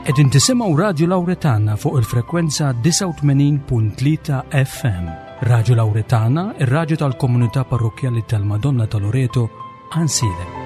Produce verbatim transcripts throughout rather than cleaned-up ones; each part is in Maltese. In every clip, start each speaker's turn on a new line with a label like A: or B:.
A: Qegħdin tisimgħu Radio Lauretana fuq il-frekwenza disgħa u tmenin punt tlieta F M. Radio Lauretana, ir-radju tal-komunità parrokjali tal-Madonna ta' Loreto, Għajnsielem.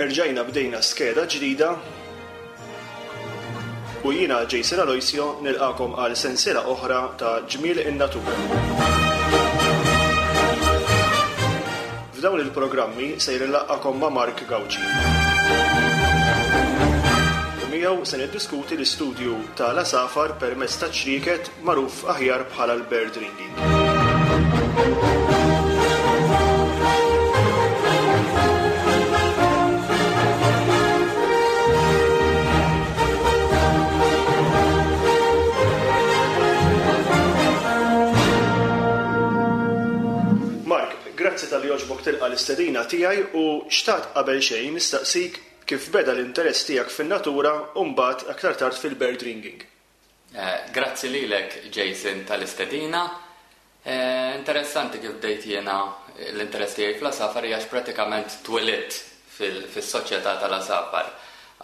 B: Erġajna bdejna skeda ġdida u jiena Jason Aloisio nilqagħkom għal sensiela oħra ta' Ġmiel in-Natura. F'dawn il-programmi sejr nlaqqagħkom ma' Mark Gauci. U miegħu se niddiskuti l-istudju tal-għasafar permezz ta' ċrieket, magħruf aħjar bħala l-bird ringing. Mark, grazzi talli għoġbok tilqa' l-istedina tiegħi u xtaqt qabel xejn nistaqsik kif beda l-interess tiegħek fin-natura u mbagħad aktar tard fil-bird ringing.
C: Eh, Grazzi lilek, Jason, tal-istedina. Eh, Interessanti kif bdejt jiena l-interess tiegħi fl-għasafar għax pratikament twelidt fil-soċjetà tal-għasafar,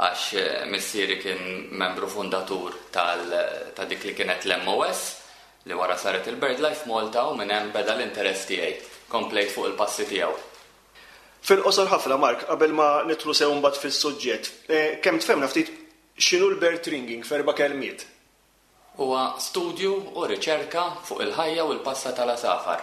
C: għax eh, missieri kien membru fundatur tal- ta' dik li kienet l-M O S li wara saret il-BirdLife Malta, u minn hemm beda l-interess tiegħi. Komplejt fuq il-passi tiegħu.
B: Fil-qosor ħafna, Mark, qabel ma nidħlu sew mbagħad fis-suġġett, eh, kemm tfehmna ftit x'inhu l-bird ringing f'erba' kelmiet?
C: Huwa studju u riċerka fuq il-ħajja u l-passa tal-għasafar.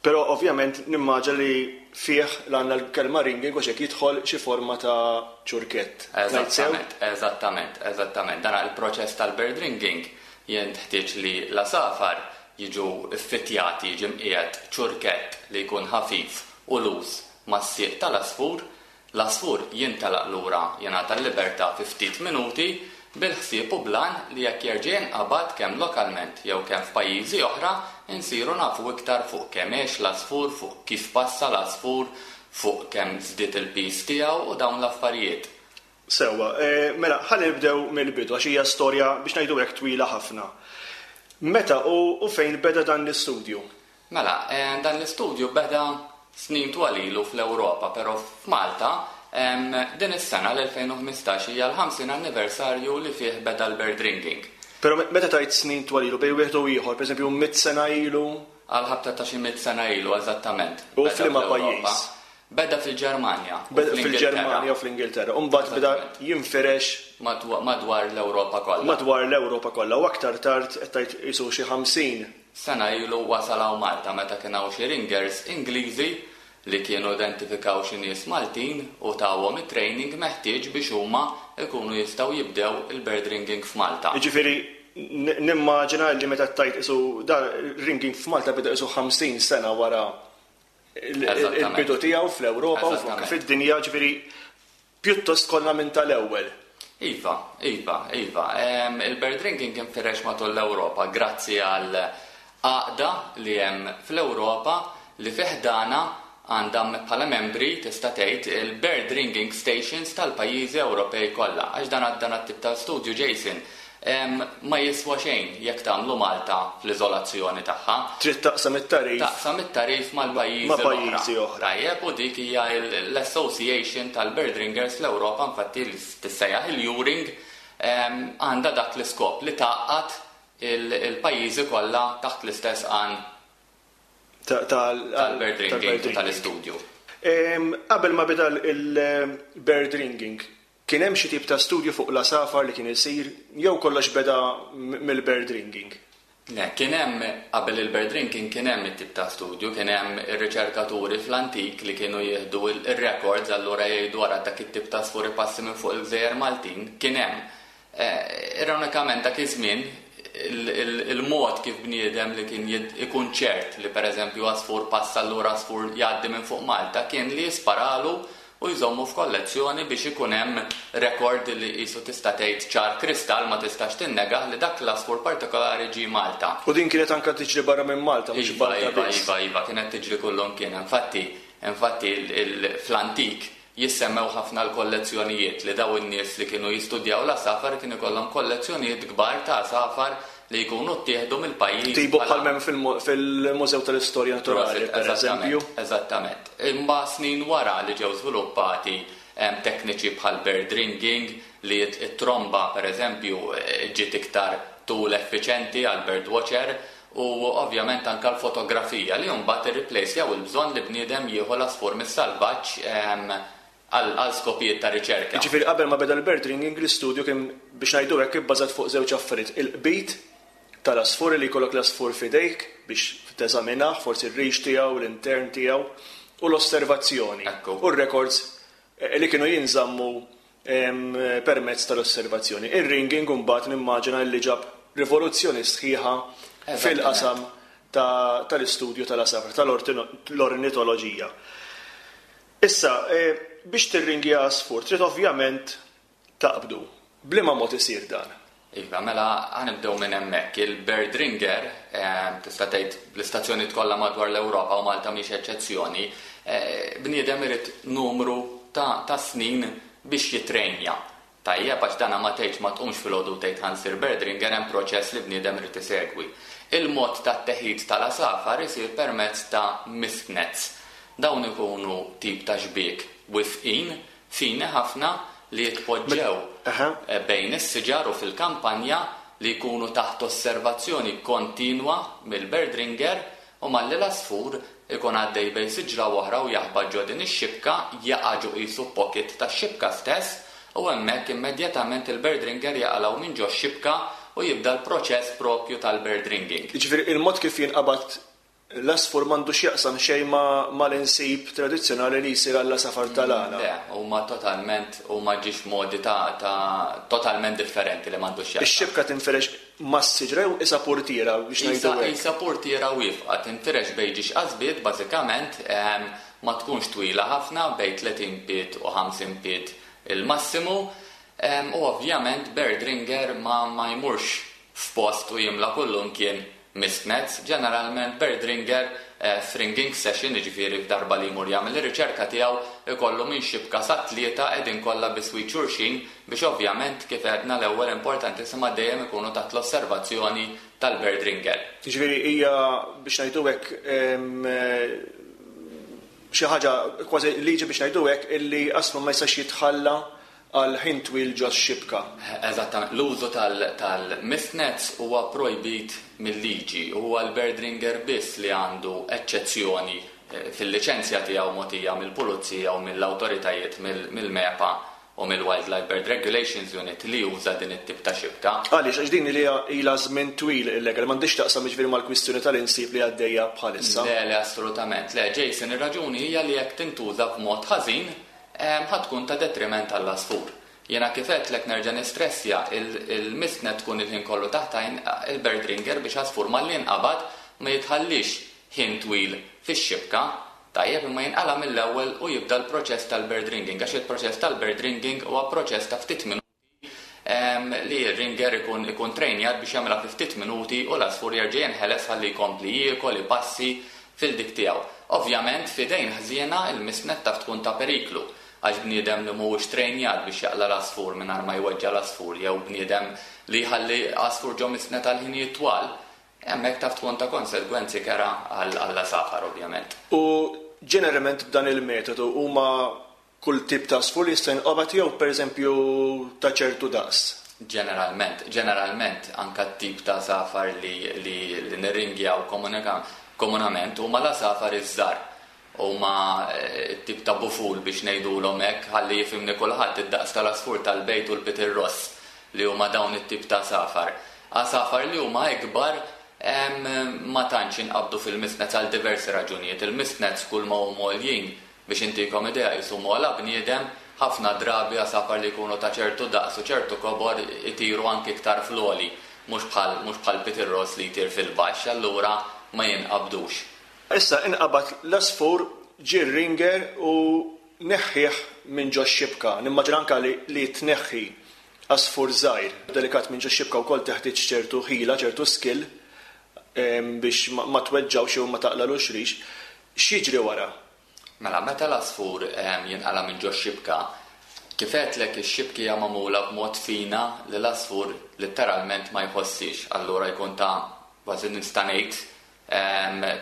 B: Però ovvjament nimmaġina li fih l-għandna l-kelma ringing u xek jidħol xi forma ta' ċurkett. Ngħid sew?
C: Eżattament, eżattament, eżattament. Dan il-proċess tal-bird ringing jintħtieġ li l-għasafar jiġu ffittjati, jiġi mqiegħed ċurkett li jkun ħafif u loose mas-sieq tal-għasfur, l-għasfur jintelaq lura, jingħata l-libertà fi ftit minuti, bil-ħsieb u bl-għan li jekk jerġa' jinqabad, kemm lokalment jew kemm f'pajjiżi oħra, insiru nafu iktar fuq kemm għex l-għasfur, fuq kif passa l-għasfur, fuq kemm żdied il-piż tiegħu u dawn l-affarijiet.
B: Sewwa, eh, mela ħalli nibdew mill-bidu, għax hija storja, biex ngħidu hekk, twila ħafna. Meta u, u fejn beda dan l-istudju?
C: Mela, eh, dan l-istudju beda snin twal ilu fl-Ewropa, però f'Malta em, din is-sena, l-elfejn u ħmistax, hija l-ħamsin anniversarju li fih beda l-bird ringing.
B: Però me- meta tgħid snin twal ilu, bejn wieħed u ieħor, pereżempju mitt sena ilu,
C: Għal ħabta ta' xi mitt sena ilu, eżattament.
B: U
C: Beda
B: f'liema
C: fl-Ewropa.
B: pajjiż?
C: Beda fil-Ġermanja u
B: Beda
C: fl-Ingilterra.
B: fil-Ġermanja u fl-Ingilterra. U mbagħad beda jinfirex
C: Madwa- Madwar l-Ewropa kollha.
B: Madwar l-Ewropa kollha u aktar tard qed tgħid qisu xi ħamsin
C: sena ilu wasal hawn Malta, meta kien hawn xi ringers Ingliżi li kienu identifikaw xi nies Maltin u tawhom it-training meħtieġ biex huma ikunu jistgħu jibdew il-bird ringing f'Malta.
B: Jiġifieri n- nimmaġina li meta tgħid qisu dan ringing f'Malta beda qisu ħamsin sena wara il- il-
C: Eżattament.
B: il-bidu tiegħu fl-Ewropa u
C: Eżattament.
B: fid-dinja, ġifieri pjuttost konna minn tal-ewwel.
C: Iva, iva, iva. Em, Il-bird ringing infirex matul l-Ewropa grazzi għal għaqda li hemm fl-Ewropa li fi ħdanha għandha bħala membri, tista' tgħid, il-bird ringing stations tal-pajjiżi Ewropej kollha. Għax dan dan tip ta' studju, Jason, em, ma jiswa xejn jekk tagħmlu Malta fl-iżolazzjoni tagħha.
B: Trid taqsam it-tagħrif
C: Taqsam it-tagħrif mal-pajjiżi
B: ma' pajjiżi
C: l-oħra.
B: oħra.
C: Tajjeb, u dik hija l- l-Association tal-Bird Ringers l-Ewropa, infatti li tissejjaħ il-EURING, em, għandha dak l-iskop li tgħaqqad il- il-pajjiżi kollha taħt l-istess għan
B: ta- tal-
C: tal-bird ringing
B: tal-bird
C: u tal-istudju.
B: Em, Qabel ma beda il-bird ringing, kien hemm xi tip ta' studju fuq l-għasafar li kien isir jew kollox beda m- mill-bird ringing?
C: Le, kien hemm qabel il-bird ringing, kien hemm it-tip ta' studju, kien hemm ir-riċerkaturi fl-antik li kienu jieħdu il-records, allura jgħidu wara dak it-tip ta' għasfur passi minn fuq il-gżejjer Maltin, kien hemm. Eh, ironikament dak iż-żmien il-mod kif bniedem li kien ikun ċert li pereżempju għasfur passa allura għasfur jgħaddi minn fuq Malta kien li jisparalu u jżommu f'kollezzjoni biex ikun hemm rekord li qisu tista' tgħid ċar kristall ma tistax tinnega li dak l-għasfur partikolari ġie Malta.
B: U din kienet anke tiġri barra minn Malta, mhux
C: Iva,
B: Malta
C: iva,
B: biss.
C: iva, iva, kienet tiġri kullum kien. Infatti, infatti fl-antik jissemmew ħafna l-kollezzjonijiet li daw in-nies li kienu jistudjaw l-għasafar kienu ikollhom kollezzjonijiet kbar ta' għasafar li jkunu ttieħdu mill-pajjiż.
B: Tibu
C: bħala
B: bħal hemm fil-Mużew tal-Istorja Naturali,
C: Prosit,
B: per eżempju.
C: Eżattament. Imma snin wara li ġew żviluppati hemm tekniċi bħal bird ringing li it-tromba per eżempju ġiet iktar tool effiċenti għal bird watcher u ovvjament anka l-fotografija li mbagħad irreplacejaw il-bżonn li bniedem jieħu l-għasfur mis-salvaġġ għal għal skopijiet ta' riċerka.
B: Jiġifieri qabel ma beda l-bird ringing l-istudju kien biex ngħidu hekk ibbażat fuq żewġ affarijiet. Il-qbid tal-għasfur li jkollok l-għasfur f'idejk biex teżaminah, forsi r-rix tiegħu, l-intern tiegħu, u l-osservazzjoni.
C: Ekku.
B: U r-records li kienu jinżammu, em, permezz tal-osservazzjoni. Ir-ringing mbagħad nimmaġina li ġab rivoluzzjoni sħiħa
C: Eżattament.
B: fil-qasam ta-, tal-istudju tal-għasafar, tal-ornitoloġija. Issa, eh, biex tirringja għasfur, trid ovvjament taqbdu. B'liema mod isir dan?
C: Iva, mela ħa nibdew minn hemmhekk. Il-bird ringer, eh, tista' tgħid l-istazzjoni kollha madwar l-Ewropa u Malta mhix eċċezzjoni, eh, bniedem irid numru ta', ta' snin biex jitrejnja. Tajjeb, għax dana ma tgħidx ma tqumx filgħodu tgħid ħa nsir bird ringer, hemm proċess li bniedem irid isegwi. Il-mod tat-teħid tal-għasafar isir permezz ta' mist nets. Dawn ikunu tip ta' xbiek wifqin, fini ħafna li jitpoġġew
B: Aha.
C: eh, bejn is-siġar u fil-kampanja li jkunu taħt osservazzjoni kontinwa mill-bird ringer u malli l-għasfur ikun għaddej bejn siġra oħra u jaħbad ġo din ix-xibka, jaqa' ġo qisu pocket tax-xibka stess u hemmhekk immedjatament il-bird ringer jaqalgħu minn ġo x-xibka u jibda l-proċess propju tal-bird ringing.
B: Jiġifieri il-mod kif jinqabad l-għasfur m'għandux jaqsam xejn ma-, mal-insib tradizzjonali li jsir għall-għasafar tal-għana.
C: Le, huma totalment, huma ġiex modi ta', ta' totalment differenti li m'għandux jaqsam.
B: Ix-xibka tinferex mas-siġra jew isa portiera biex ngħidu
C: Isa,
B: hekk?
C: isa portiera wieqfa, tinfirex bejn ġiex qasbiet, bażikament, ehm, ma tkunx twila ħafna, bejn tletin pied u ħamsin pied il-massimu, ehm, u ovvjament bird ringer ma, ma jmurx f'post u jimla kullum kien mist nets. Ġeneralment bird ringer, eh, f'ringing session, jiġifieri f'darba li jmur jagħmel ir-riċerka tiegħu, ikollu minn xibka sa tlieta qegħdin kollha biswit xulxin biex ovvjament kif għedna l-ewwel importantissima dejjem ikunu taħt l-osservazzjoni tal-bird ringer.
B: Jiġifieri hija biex ngħidu hekk, em, eh, xi ħaġa kważi liġi biex ngħidu hekk illi għasfur ma jistax jitħalla għal ħin twil ġo x-xibka.
C: Eżattament, l-użu tal-, tal-mist nets huwa projbit mill-liġi, huwa l-bird ringer biss li għandu eċċezzjoni, eh, fil-liċenzja tiegħu mogħtija mill-pulizija u mill-awtoritajiet mill-, mill-MEPA u mill-Wildlife Bird Regulations Unit li juża din it-tip ta' xibka.
B: Għaliex, għax din li ilha żmien twil illegal, m'għandix taqsam jiġifieri mal-kwistjoni tal-insib li għaddejja bħalissa.
C: Le, le, assolutament. Le, Jason, ir-raġuni hija li jekk tintuża b'mod ħażin, em, ħa tkun ta' detriment għall-għasfur. Jena kif għedtlek nerġa' nistressja, il-, il-mist net tkun il-ħin kollu taħt għajn il-bird ringer biex għasfur malli jinqabad ma jitħallix ħin twil fix-xibka, tajjeb imma jinqala mill-ewwel u jibda l-proċess tal-bird ringing, għax il-proċess tal-bird ringing huwa proċess ta' ftit minuti, em, li r-ringer ikun, ikun trejnjat biex jagħmilha fi ftit minuti u l-għasfur jerġa' jinħeles ħalli jkompli jiekol, ipassi fil-dik tiegħu. Ovvjament f'idejn ħżiena il-mist net taf tkun ta' periklu, għax bniedem li mhuwiex trejnjat biex jaqla l-għasfur mingħajr ma jweġġa l-għasfur, jew bniedem li jħalli għasfur ġo mist net għal ħinijiet twal, hemmhekk taf tkun ta' konsegwenzi kera għal-, għall-għasafar ovvjament.
B: U ġeneralment b'dan il-metodu huma kull tip ta' għasfur li jista' jinqabad jew pereżempju ta' ċertu daqs?
C: Ġeneralment, ġeneralment anka t-tip ta' għasafar li, li, li nirringjaw komunika-, komunament huma l-għasafar iż-żgħar. Huma, eh, tip ta' buful biex ngħidulhom hekk ħalli jifhimni kulħadd id-daqs tal-għasfur tal-bejt u l-pitirross li huma dawn it-tip ta' għasafar. Għasafar li huma ikbar, em, ma tantx inqabdu fil-mist nets għal diversi raġunijiet. Il-mist nets kull ma huma għoljin biex intikom idea jisu mola bniedem Ħafna drabi għasafar li jkunu ta' ċertu daqs u ċertu kobor itiru anki iktar fl-għoli, mhux bħal mhux bħal pitirross li jtir fil-baxx, allura ma jinqabdux.
B: Issa inqabad l-għasfur, ġie r-ringer u neħħih minn ġo xibka. Nimmaġina anka li, li tneħħi għasfur żgħir delikat minn ġo xibka wkoll teħtieġ ċertu ħila, ċertu skill biex ma tweġġawx jew ma taqlalux rix. X'jiġri wara?
C: Mela, meta l-għasfur jinqala minn ġo xibka, kif għedtlek, ix-xibki hija magħmula b'mod fina li l-għasfur letteralment ma jħossix, allura jkun ta' kważi nista' ngħid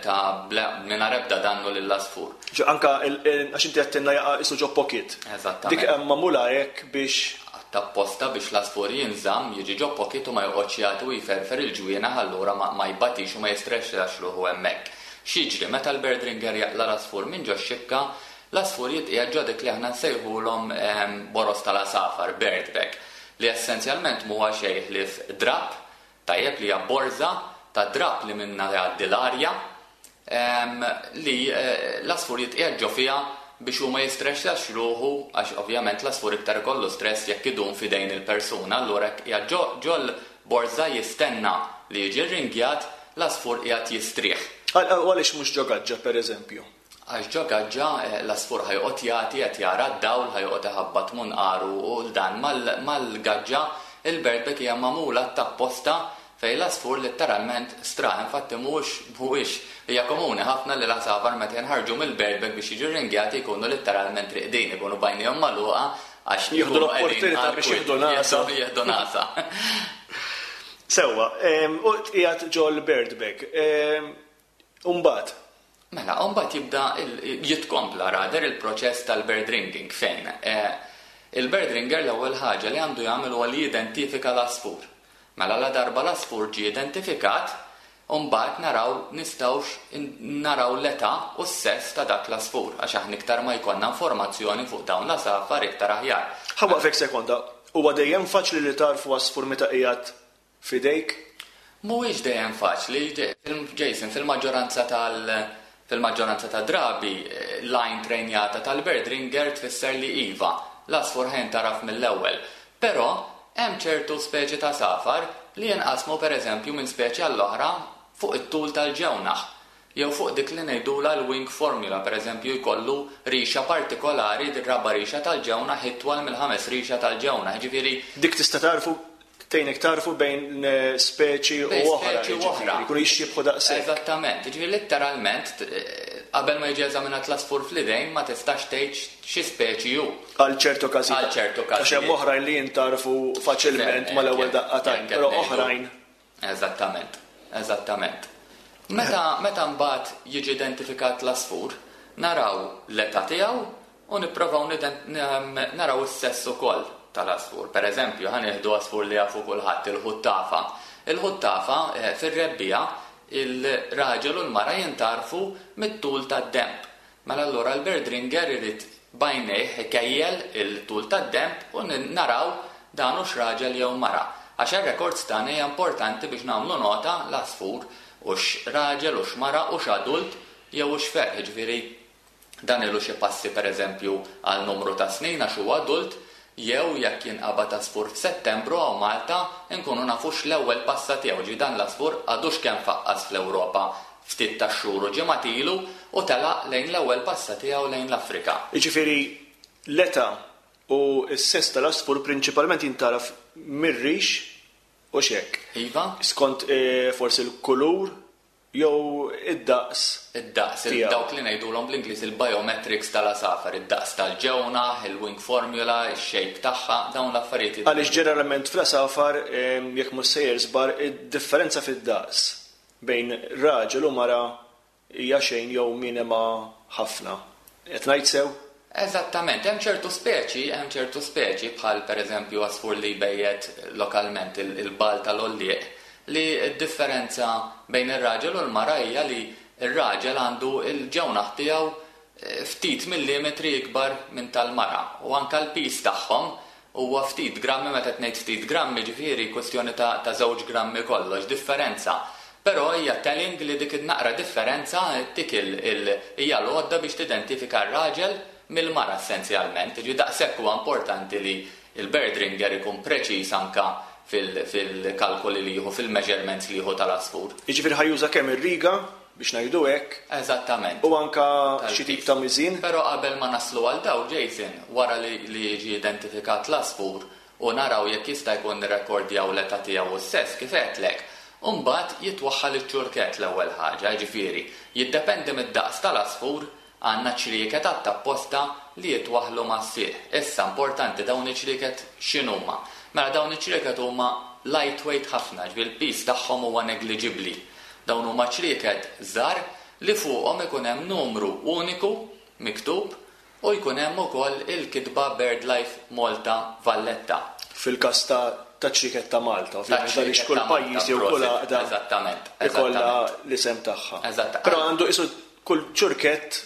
C: ta' mingħajr ebda dannu lill-għasfur.
B: Ġo anka għax inti għedtilna jaqa' isu ġo pocket.
C: Eżattament.
B: Dik hemm magħmula hekk biex
C: Apposta biex l-għasfur jinżamm, jiġi ġo pocket u ma joqgħodx jagħti u jferfer il-ġwienaħ, allura ma jbatix u ma jistressax ruħu hemmhekk. X'jiġri meta l-bird ringer jaqla l-għasfur minn ġo xibka? L-għasfur jitqiegħed ġo dik li aħna nsejħulhom boroż tal-għasafar, bird bag, li essenzjalment mhuwa xejn ħlief drap, tajjeb, li hija borża ta' drap li minna jgħaddi l-arja, li l-għasfur jitqiegħed ġo fiha biex hu ma jistressax ruħu, għax ovvjament l-għasfur iktar ikollu stress jekk idum f'idejn il-persuna, allura jekk qiegħed ġo l-borża jistenna li jiġi ringjat, l-għasfur qiegħed jistrieħ.
B: Għaliex mhux ġo gaġġa, pereżempju?
C: Għax ġo gaġġa l-għasfur ħa joqgħod jagħti, qed jara d-dawl, ħa joqgħod iħabbat munqaru u l-dan mal-gaġġa il-bird bag hija magħmula tapposta fej l-għasfur letteralment straħ. Infatti mhuwiex mhuwiex hija komuni ħafna li l-għasafar meta jinħarġu mill-bird bag biex jiġu ringjati jkunu letteralment riqdin, ikunu bajnihom magħluqa għax
B: jieħdu l-opportunità biex jieħdu nasa.
C: Jieħdu nasa.
B: Sewwa, u qiegħed ġo l-bird bag. Umbagħad?
C: Mela, umbagħad jibda jitkompla rather il-proċess tal-bird ringing fejn il-bird ringer l-ewwel ħaġa li għandu jagħmel huwa li jidentifika l-għasfur. Mela la darba l-għasfur ġie identifikat, umbagħad naraw nistgħux naraw l-età u s-sess ta' dak l-għasfur, għax aħna iktar ma jkollna informazzjoni fuq dawn l-għasafar iktar aħjar.
B: Ħa nwaqfek sekonda, huwa dejjem faċli li tarfu għasfur meta qiegħed f'idejk?
C: Mhuwiex dejjem faċli, Jason, fil-maġġoranza tal- fil-maġġoranza ta' drabi l-għajn trejnjata tal-bird ringer tfisser li iva, l-għasfur ħa jintgħaraf mill-ewwel. Però hemm ċertu speċi ta' għasafar li jinqasmu pereżempju minn speċi għall-oħra fuq it-tul tal-ġewnaħ, jew fuq dik li ngħidulha l-wing formula, pereżempju jkollu rixa partikolari, raba rixa tal-ġewnaħ itwal mill-ħames rixa tal-ġewnaħ, ġifieri
B: Dik tista' tarfu tgħinek tarfu bejn speċi u oħra,
C: speċi u oħra.
B: Jkunu jixxiebħu daqshekk.
C: Eżattament, ġifieri letteralment qabel ma jiġi eżaminat l-għasfur fl-idejn ma tistax tgħid xi speċi hu.
B: Għal ċertu każijiet.
C: Għal ċertu każijiet.
B: Għax hemm oħrajn li jintarfu faċilment mal-ewwel daqqa t'għajn, però oħrajn.
C: Eżattament, eżattament. Meta, meta mbagħad jiġi identifikat l-għasfur, naraw l-età tiegħu u nipprovaw naraw is-sess ukoll tal-għasfur. Per eżempju, ħa nieħdu għasfur li jafu kulħadd, il-ħuttafa. Il-ħuttafa fir-rebbiegħa il-raġel u l-mara jintarfu mit-tul tad-demb. Mela allura l-bird ringer irid bajnejh ikejjel il-tul tad-demb u naraw dan hux raġel jew mara. Għax ir-records tagħna hija importanti biex nagħmlu nota l-għasfur hux raġel, hux mara, hux adult jew hux ferħ. Jiġifieri dan ilu xi passi pereżempju għal numru ta' snin għax huwa adult, jew jekk jinqabad għasfur f'Settembru hawn Malta nkunu nafux l-ewwel passa tiegħu, ġi dan l-għasfur għadux kemm faqqas fl-Ewropa ftit ta' xhur u ġimgħat ilu u telaq lejn l-ewwel passa tiegħu lejn l-Afrika.
B: Jiġifieri l-età u s-sess tal-għasfur prinċipalment jintaraf mir-rix u xek.
C: Iva.
B: Skont forsi l-kulur jew id-daqs.
C: Id-daqs, dawk li ngħidulhom bl-Ingliż il-biometrics tal-għasafar, id-daqs tal-ġewnaħ, il-wing formula, ix-shape tagħha, dawn l-affarijiet.
B: Għaliex ġeneralment fl-għasafar, jekk mhux sejjer żbar, id-differenza fid-daqs bejn raġel u mara hija xejn jew minima ħafna. Qed ngħid sew?
C: Eżattament, hemm ċertu speċi, hemm ċertu speċi bħal pereżempju għasfur li jbejjet lokalment il-bal tal-għollieq, li d-differenza bejn ir-raġel u l-mara hija li r-raġel għandu il-ġewnaħ tiegħu ftit millimetri ikbar minn tal-mara u anke l-pis tagħhom huwa ftit grammi, meta tgħid ftit grammi ġifieri kwestjoni ta', ta' żewġ grammi kollox, differenza. Però hija telling li dik in-naqra differenza tik hija l-għodda biex tidentifika r-raġel mill-mara essenzjalment. Ġi daqshekk huwa importanti li il-bird ringer ikun preċiż anka fil-kalkoli li jieħu, fil-measurements li jieħu tal-għasfur.
B: Jiġifieri ħa juża kemm ir-riga biex ngħidu hekk.
C: Eżattament.
B: U anka xi tip ta' miżin.
C: Però qabel ma naslu għal daw, Jason, wara li jiġi identifikat l-għasfur u naraw jekk jista' jkun nirrekordjaw l-età tiegħu u s-sess kif għedtlek, u mbagħad jitwaħħal iċ-ċurkett l-ewwel ħaġa, jiġifieri jiddependi mid-daqs tal-għasfur, għandna ċrieket apposta li jitwaħħlu mas-sieq. Issa importanti dawn iċ-ċrieket x'inhuma? Mela dawn iċ-ċrieket huma lightweight ħafna, ġifieri l-piż tagħhom huwa negliġibbli. Dawn huma ċrieket żgħar li fuqhom ikun hemm numru uniku miktub u jkun hemm ukoll il-kitba BirdLife Malta Valletta.
B: Fil-każ ta' ta' ċrieket ta' Malta, ovvjament, għaliex kull pajjiż jew kull għaqda
C: eżattament,
B: ikollha l-isem tagħha.
C: Eżatt.
B: Però għandu qisu kull ċurkett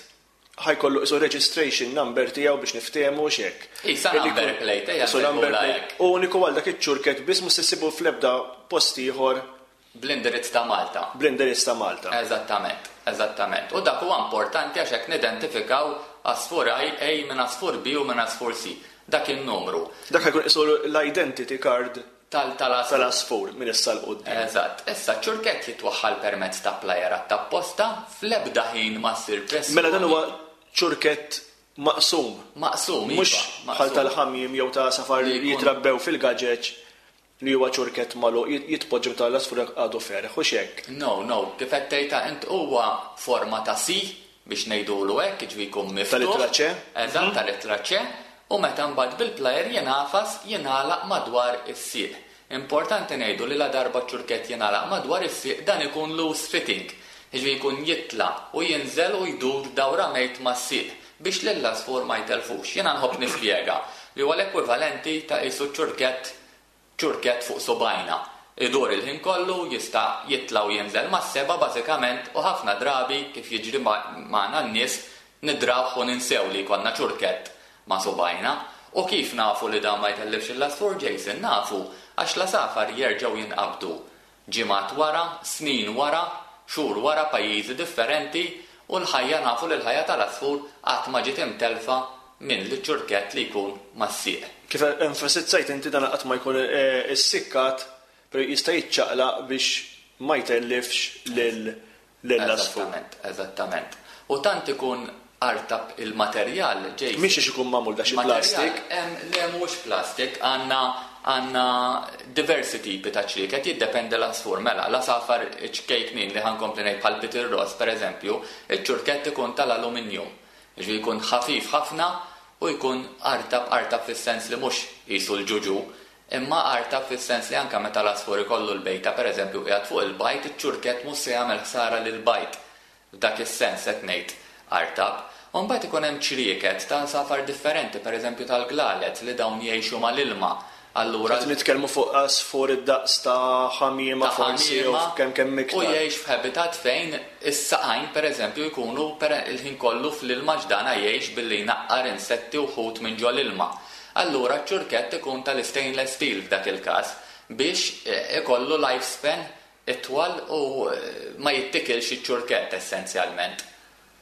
B: ħa jkollu qisu registration number tiegħu biex niftehmu x'hekk.
C: Isa number plate, ejja
B: Qisu number plate. Uniku għal dak iċ-ċurkett biss, mhux se ssibu fl-ebda post ieħor.
C: Bl-indirizz ta' Malta.
B: Bl-indirizz ta' Malta.
C: Eżattament, eżattament. U dak huwa importanti għax hekk nidentifikaw għasfur A minn għasfur B u minn għasfur C. Dak il-numru.
B: Dak ħa jkun qisu l-identity card
C: tal-għasfur.
B: Tal-għasfur minn issa 'l quddiem.
C: Eżatt. Issa ċurkett jitwaħħal permezz ta' plier apposta, fl-ebda ħin ma ssir pressjoni.
B: Mela dan huwa ċurkett maqsum.
C: Maqsum, iva,
B: Mhux
C: maqsum.
B: bħal tal-ħamiem jew ta' safar
C: Li
B: li
C: jkun-
B: jitrabbew fil-gaġeġ li huwa ċurkett magħluq jitpoġġu tal-għasfur għadu ferħ u xek.
C: No, no, kif qed tgħidha int, huwa forma ta' C biex ngħidulu hekk, jiġifieri jkun miftuħ.
B: Tal-ittra C?
C: Eżatt, tal-ittra C, u meta mbagħad bil-plier jingħafas jingħalaq madwar is-sieq. Importanti ngħidu li la darba ċurkett jingħalaq madwar is-sieq, dan ikun loose fitting. Jiġifieri jkun jitla u jinżel u jdur dawra mejt mas-sieq biex lill-għasfur ma jtelfux. Jiena nħobb nispjega li huwa l-ekwivalenti ta' qisu ċurkett ċurkett fuq subgħajna. Idur il-ħin kollu, jista' jitla u jinżel mas-seba' bażikament, u ħafna drabi kif jiġri magħna n-nies nidrawh u ninsew li jkollna ċurkett ma' subgħajna. U kif nafu li dan ma jtellifx l-għasfur, Jason? Nafu għax l-għasafar jerġgħu jinqabdu ġimgħat wara, snin wara, xhur wara, pajjiżi differenti, u l-ħajja, nafu li l-ħajja tal-għasfur qatt ma ġiet imtelfa minn li ċurkett li jkun mas-sieq.
B: Kif enfasizzajt inti, dan qatt ma jkun eh, issikkat, però jista' jiċċaqlaq biex ma jtellifx lil lill-għasfur.
C: Eżattament, eżattament. U tant ikun artab il-materjal, Jason.
B: Mhix ix ikun magħmul da xi
C: Materjal,
B: plastik?
C: em, Le, mhux plastik, għandna għandna diversi tipi ta' ċrieket, jiddependi l-għasfur. Mela, l-għasafar ċkejknin li ħa nkompli ngħid bħal pitirross, per eżempju, iċ-ċurkett ikun tal-alluminju. Ġifieri jkun ħafif ħafna u jkun artab, artab fis-sens li mhux qisu l-ġuġu, imma artab fis-sens li anka meta l-għasfur ikollu l-bejta, per eżempju, qiegħed fuq il-bajd, iċ-ċurkett mhux se jagħmel ħsara lil bajd. F'dak is-sens qed ngħid artab. U mbagħad ikun hemm ċrieket ta' għasafar differenti, per eżempju tal-glalet li dawn jgħixu mal-ilma. Allura
B: Qed nitkellmu fuq għasfur id-daqs ta' ħamiema
C: ta'
B: forsi jew
C: ħamiema
B: kemm kemm
C: u
B: iktar.
C: jgħix f'habitat fejn is-saqajn per eżempju jkunu per il-ħin kollu fl-ilma, ġdana jgħix billi jnaqqar insetti u ħut minn ġol ilma. Allura ċ-ċurkett ikun tal-stainless steel f'dak il-każ biex eh, ikollu lifespan itwal u eh, ma jittikilx iċ-ċurkett essenzjalment.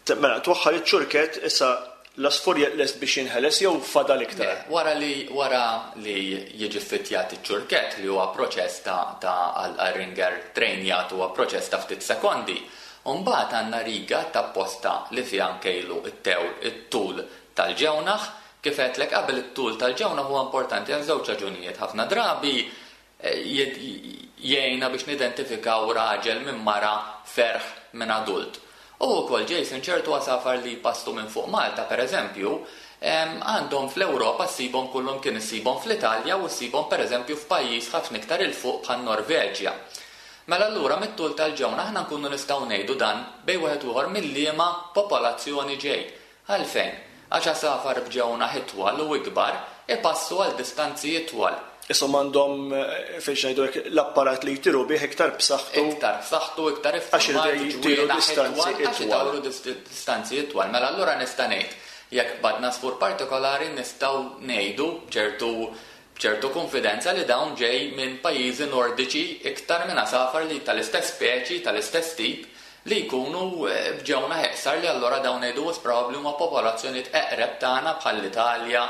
B: Te- Mela, twaħħal iċ-ċurkett, issa l-għasfur lest biex jinħeles jew fadal iktar?
C: Le, wara li wara li jiġi fittjat iċ-ċurkett, li huwa proċess ta' ta' għal ringer trejnjat huwa proċess ta' ftit sekondi. Mbagħad għandna riga ta' posta li fiha nkejlu it-tew it-tul tal-ġewnaħ. Kif għedtlek qabel, it-tul tal-ġewnaħ huwa importanti għal żewġ raġunijiet. Ħafna drabi eh, jed- jgħinna biex nidentifikaw raġel minn mara, ferħ minn adult. U wkoll, Jason, ċertu għasafar li jpassu minn fuq Malta, per eżempju, em, għandhom fl-Ewropa ssibhom kullum kien issibhom fl-Italja u ssibhom per eżempju f'pajjiż ħafna iktar 'il fuq bħal Norveġja. Mela allura mit-tul tal-ġewna aħna nkunu nistgħu ngħidu dan bejn wieħed u ieħor mill-liema popolazzjoni ġej. Għalfejn? Għax għasafar b'ġewna itwal u ikbar ipassu għal distanzi itwal.
B: Isom għandhom eh, fejn ngħidu hekk, l-apparat li jtiru bih iktar b'saħħtu.
C: Iktar b'saħħtu, iktar
B: Għax
C: iffurmat,
B: iridu jtiru
C: ġwienaħ
B: distanzi
C: itwal, għax
B: itwal.
C: idawru dis- distanzi itwal. Mela allura nista' ngħid jekk qbadna għasfur partikolari nistgħu ngħidu b'ċertu b'ċertu konfidenza li dawn ġej minn pajjiżi nordiċi iktar minn għasafar li tal-istess speċi, tal-istess tip li jkunu b'ġewnaħ iqsar, li allura dawn ngħidu probabbli huma popolazzjonijiet eqreb tagħna bħall-Italja,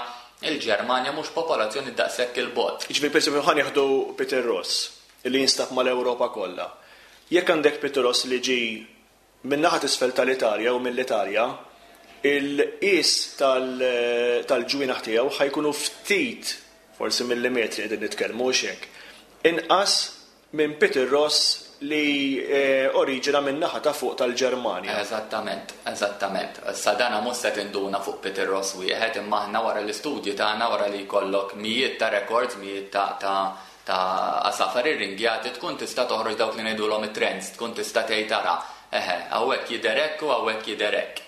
C: il-Ġermanja, mhux popolazzjoni daqshekk 'il bogħod.
B: Jiġifieri, pereżempju, ħa nieħdu Peter Ross li jinstab mal-Ewropa kollha. Jekk għandek Peter Ross li ġi min-naħa t'isfel tal-Italja u mill-Italja, il-qis tal-ġwienaħ tiegħu ħa jkunu ftit, forsi millimetri qegħdin nitkellmu hekk, inqas minn Peter Ross li oriġina minn naħa ta' fuq tal-Ġermanja.
C: Eżattament, eżattament. Issa dana mhux se tinduna fuq Peter Ross wieħed, imma aħna wara l-istudji tagħna, wara li jkollok mijiet ta' records, mijiet ta' ta' ta' għasafar irringjati, tkun tista' toħroġ dawk li ngħidulhom it-trends, tkun tista' tgħid tara, eħe, hawnhekk jidher hekk u hawnhekk jidher hekk.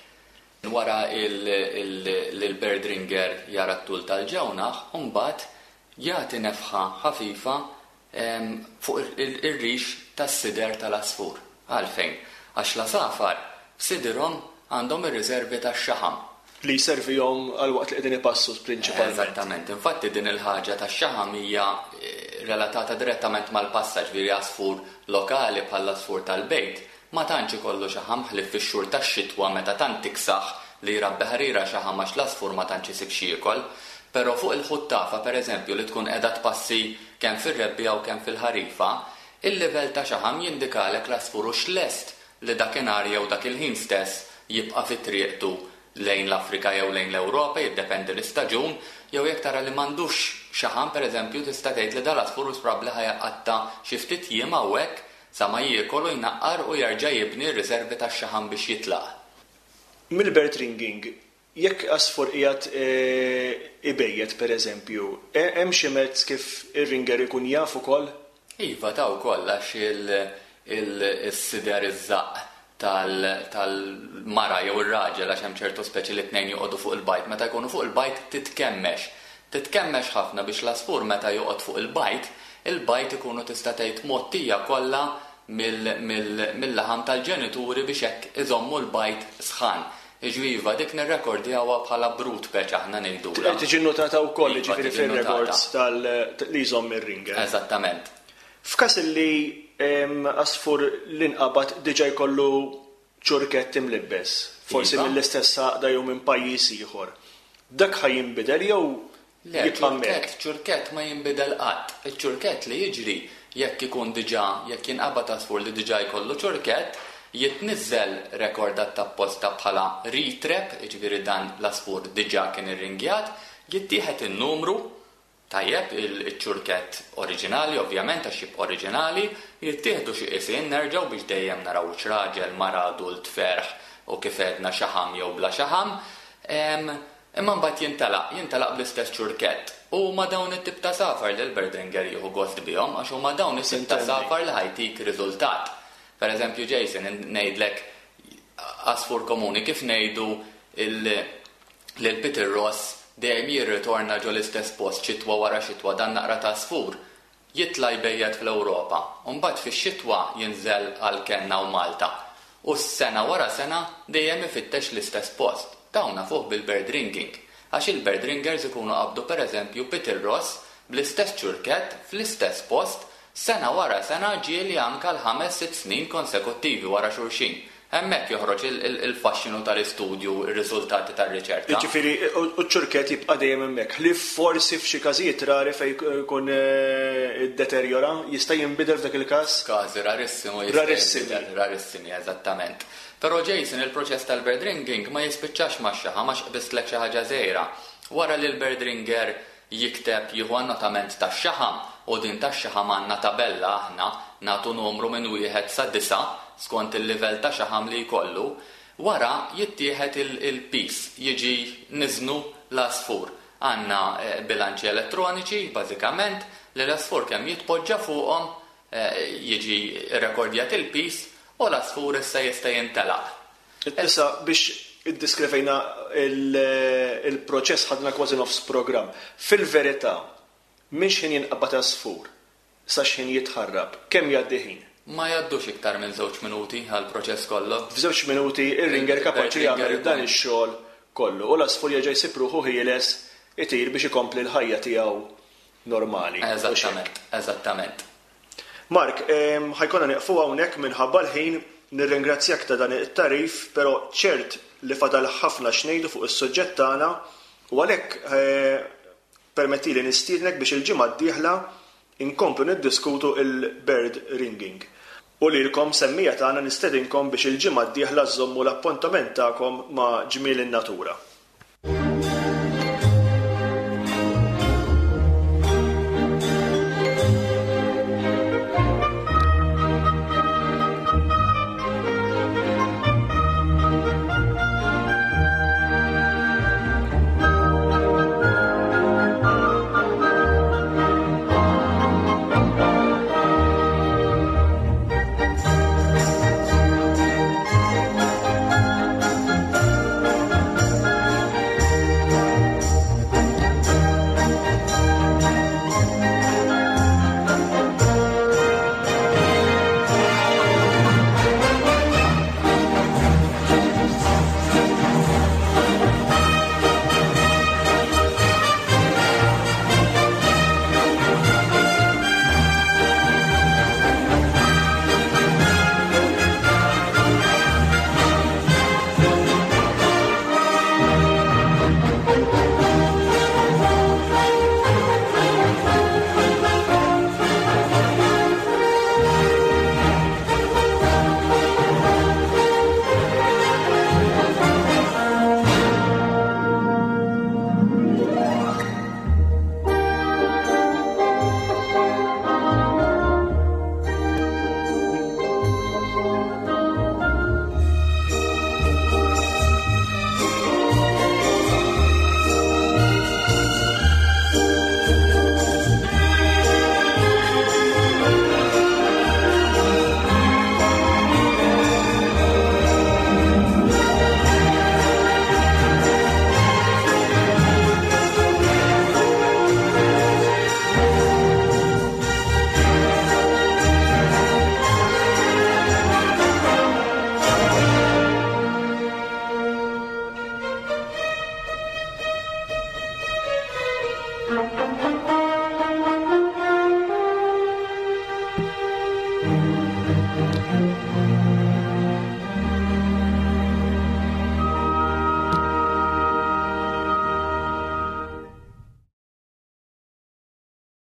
C: Wara il-bird ringer jara t-tul tal-ġewnaħ, u mbagħad jagħti nefħa ħafifa fuq ir-rix tas-sider tal-asfur. Għalfejn? Għax l-għasafar f'sidirhom għandhom ir-riservi tax-xaħam.
B: Li jservihom għal waqt li qegħdin ipassu prinċipalment.
C: Eżattament. Infatti din il-ħaġa tax-xaħam hija relatata direttament mal-passaġġ, ġifieri għasfur lokali bħall-għasfur tal-bejt ma tantx ikollu xaħam ħlief fix-xhur tax-xitwa meta tant tiksaħ li jrabbi ħarira xaħam għax l-għasfur ma tantx isib x'jiekol. Però fuq il-ħuttafa, per eżempju, li tkun qiegħda tpassi kemm fir-rebbiegħa u kemm fil-ħarifa, il-livell ta' xaħam jindikalek l-għasfur hux lest li dakinhar jew dak il-ħin stess jibqa' fi triqtu lejn l-Afrika jew lejn l-Ewropa, jiddependi l-istaġun, jew jekk tara li m'għandux xaħam, per eżempju, tista' tgħid li dal-għasfur hux probabbli ħa jqatta' xi ftit jiem hawnhekk sa ma jiekol u jnaqqar u jerġa' jibni r-riservi tax-xaħam biex jitlaq.
B: Mill-bird ringing, jekk għasfur qiegħed ibejjet, pereżempju, hemm xi mezz kif ir-ringer ikun jaf ukoll?
C: Iva, ta' wkoll, għax il-sider iż-żaqq tal-mara jew ir-raġel, għax hemm ċertu speċi li tnejn joqogħdu fuq il-bajt, meta jkunu fuq il-bajt titkemmex. Titkemmex ħafna biex l-għasfur meta joqgħod fuq il-bajt, il-bajt ikunu tista' tgħid mottija kollha mill-laħam tal-ġenituri biex hekk iżommu l-bajt sħan. Iġviva, dik nirrekordjawha bħala brood patch aħna ngħidulha.
B: Tiġi notata wkoll,
C: Iva,
B: ġifieri
C: tiġi notata.
B: fir-records tal li jżomm ir-ringer.
C: Eżattament.
B: F'każ li għasfur li nqabad diġà jkollu ċurkett imlibbes, forsi
C: Iva.
B: mill-istess għaqda jew minn pajjiż ieħor, dak ħa jinbidel jew
C: Le,
B: jibqa' hemmhekk?
C: ċurkett, ċurkett ma jinbidel qatt. Iċ-ċurkett li jiġri jekk ikun diġà, jekk jinqabad għasfur li diġà jkollu ċurkett, jitniżżel rekordat ta' posta bħala retrap, jiġifieri dan l-għasfur diġà kien irringjat, jittieħed in-numru, tajjeb, il-ċurkett oriġinali, ovvjament, għax jibqa' oriġinali, jittieħdu xi qisien nerġgħu biex dejjem naraw x'raġel, mara, adult, ferħ u kif għedna xaħam jew bla xaħam. Em, imma mbagħad jintalaq, jintalaq bl-istess ċurkett. U ma dawn it-tip ta' safar li l-bird ringer jieħu gost bihom, għax huma dawn it-tip ta'
B: Sintendi.
C: safar li ħajtik riżultat. Per eżempju, Jason, ngħidlek għasfur komuni kif ngħidu lil Peter Ross dejjem jirritorna ġo l-istess post xitwa wara xitwa, dan naqra ta' għasfur jitla' jbejjed fl-Ewropa, u mbagħad fix-xitwa jinżel għal Kenna u Malta. U s-sena wara sena dejjem ifittex l-istess post. Dawn nafuh bil-bird ringing, għax il-bird ringers ikunu qabdu per eżempju Peter Ross bl-istess ċurkett fl-istess post sena wara sena, ġieli anka l-ħames sitt snin konsekuttivi wara xulxin. Hemmhekk joħroġ il-, il-, il-faxxinu tal-istudju, ir-riżultati tar-riċerka.
B: Jiġifieri, u ċ-ċurkett jibqa' dejjem hemmhekk. Li forsi f'xi każijiet rari fejn jkun, eh, iddeterjora, jista' jinbidel f'dak il-każ?
C: Każi rarissimu jista'
B: Rarissimi.
C: jinbidel, rarissimi, eżattament. Però Jason, il-proċess tal-bird ringing ma jispiċċax ma' xaħam, għax qbislek xi ħaġa żgħira. Wara li l-bird ringer jikteb jieħu annotament tax-xaħam, u din tax-xaħam għandna tabella aħna nagħtu numru minn wieħed sa disa' skont il-livell ta' xaħam li jkollu, wara jittieħed il-, il-pis, jiġi niżnu l-għasfur. Għandna, eh, bilanċi elettroniċi, bażikament, li l-għasfur kemm jitpoġġa fuqhom, eh, jiġi rekordjat il-pis u l-għasfur issa jista' jintelaq.
B: Issa biex iddiskrivejna il-, il-proċess ħadna kważi nofs programm. Fil-verità, minn x'ħin jinqabad għasfur sa x'ħin jitħarrab, kemm jgħaddi ħin?
C: Ma jgħaddux iktar minn żewġ minuti għall-proċess kollu.
B: F'żewġ minuti ir-ringer kapaċi
C: Il-ringer
B: jagħmel
C: ikun
B: dan ix-xogħol kollu u l-għasfur jerġa' jsib ruħu ħieles itir biex ikompli l-ħajja tiegħu normali.
C: Eżattament, eżattament.
B: Mark, em, ħajkonna nieqfu hawnhekk minħabba l-ħin. Nirringrazzjak ta' dan it-tagħrif, però ċert li fadal ħafna x'ngħidu fuq is-suġġett tagħna u għalhekk eh, permettili nistiednek biex il-ġimgħa d-dieħla inkomplu niddiskutu il-bird ringing. U lilkom semmiegħa tagħna nistedinkom biex il-ġimgħa d-dieħla żommu l-appuntament tagħkom ma' Ġmiel in-Natura.